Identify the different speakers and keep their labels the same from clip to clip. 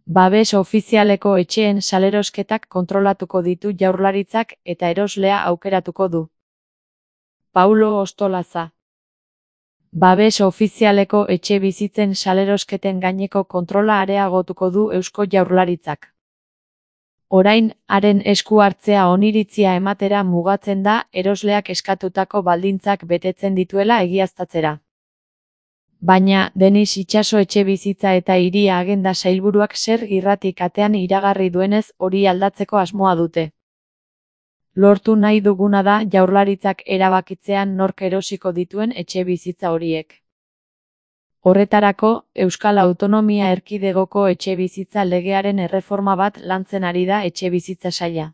Speaker 1: Babes ofizialeko etxeen salerosketak kontrolatuko ditu Jaurlaritzak eta eroslea aukeratuko du. Paulo Ostolaza. Babes ofizialeko etxebizitzen salerosketen gaineko kontrola areagotuko du Eusko Jaurlaritzak. Orain, haren esku hartzea oniritzia ematera mugatzen da erosleak eskatutako baldintzak betetzen dituela egiaztatzera. Baina, Denis Itxaso etxebizitza eta hiria agenda sailburuak zer irratik atean iragarri duenez hori aldatzeko asmoa dute. Lortu nahi duguna da Jaurlaritzak erabakitzean nork erosiko dituen etxebizitza horiek. Horretarako, Euskal Autonomia Erkidegoko etxebizitza legearen erreforma bat lantzen ari da etxebizitza saila.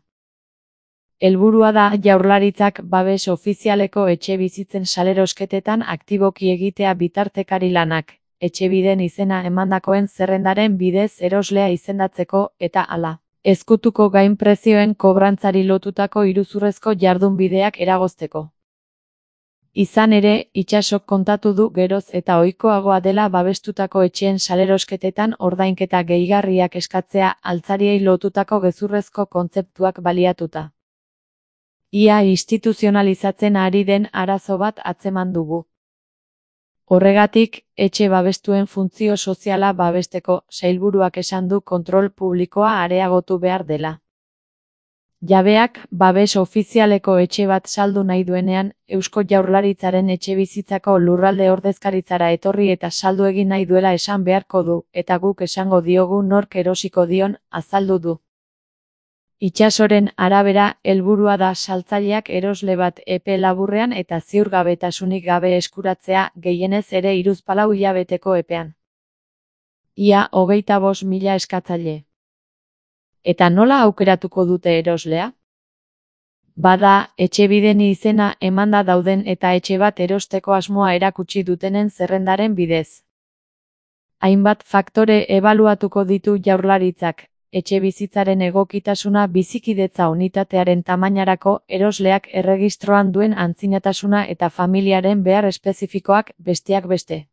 Speaker 1: Helburua da Jaurlaritzak babes ofizialeko etxebizitzen salerosketetan aktiboki egitea bitartekari lanak, etxebiden izena emandakoen zerrendaren bidez eroslea izendatzeko eta hala, ezkutuko gainprezioen kobrantzari lotutako iruzurrezko jardunbideak eragozteko. Izan ere, Itxasok kontatu du geroz eta ohikoagoa dela babestutako etxeen salerosketetan ordainketa gehigarriak eskatzea altzariei lotutako gezurrezko kontzeptuak baliatuta. Ia instituzionalizatzen ari den arazo bat atzeman dugu. Horregatik, etxe babestuen funtzio soziala babesteko sailburuak esan du kontrol publikoa areagotu behar dela. Jabeak, babes ofizialeko etxe bat saldu nahi duenean, Eusko Jaurlaritzaren etxebizitzako lurralde ordezkaritzara etorri eta saldu egin nahi duela esan beharko du, eta guk esango diogu nork erosiko dion, azaldu du. Itxasoren arabera, helburua da saltzaileak erosle bat epe laburrean eta ziurgabetasunik gabe eskuratzea, gehienez ere 3-4 hilabeteko epean. Ia 25.000 eskatzaile. Eta nola aukeratuko dute eroslea? Bada, etxebiden izena emanda dauden eta etxe bat erosteko asmoa erakutsi dutenen zerrendaren bidez. Hainbat faktore ebaluatuko ditu Jaurlaritzak. Etxebizitzaren egokitasuna bizikidetza unitatearen tamainarako, erosleak erregistroan duen antzinatasuna eta familiaren behar espezifikoak besteak beste.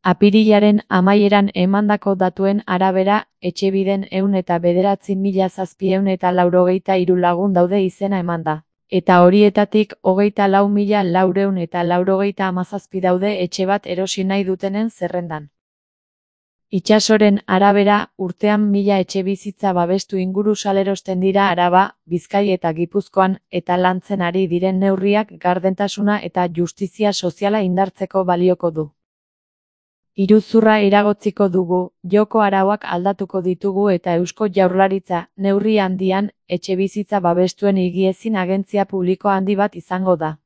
Speaker 1: Apirilaren amaieran emandako datuen arabera, etxebiden 109.793 lagun daude izena emanda, eta horietatik 24.497 daude etxe bat erosi nahi dutenen zerrendan. Itxasoren arabera, urtean 1000 etxebizitza babestu inguru salerosten dira Araba, Bizkai eta Gipuzkoan, eta lantzen ari diren neurriak gardentasuna eta justizia soziala indartzeko balioko du. Iruzurra eragotziko dugu, joko arauak aldatuko ditugu eta Eusko Jaurlaritza, neurri handian, etxebizitza babestuen higiezin agentzia publiko handi bat izango da.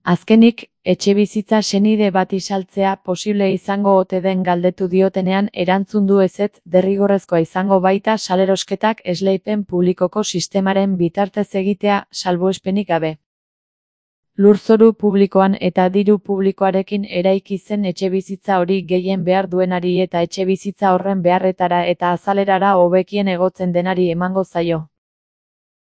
Speaker 1: Azkenik, etxebizitza senide bat saltzea posible izango ote den galdetu diotenean erantzun du ezetz, derrigorrezkoa izango baita salerosketak esleipen publikoko sistemaren bitartez egitea salbuespenik gabe. Lurzoru publikoan eta diru publikoarekin eraiki zen etxebizitza hori gehien behar duenari eta etxebizitza horren beharretara eta azalerara hobekien egotzen denari emango zaio.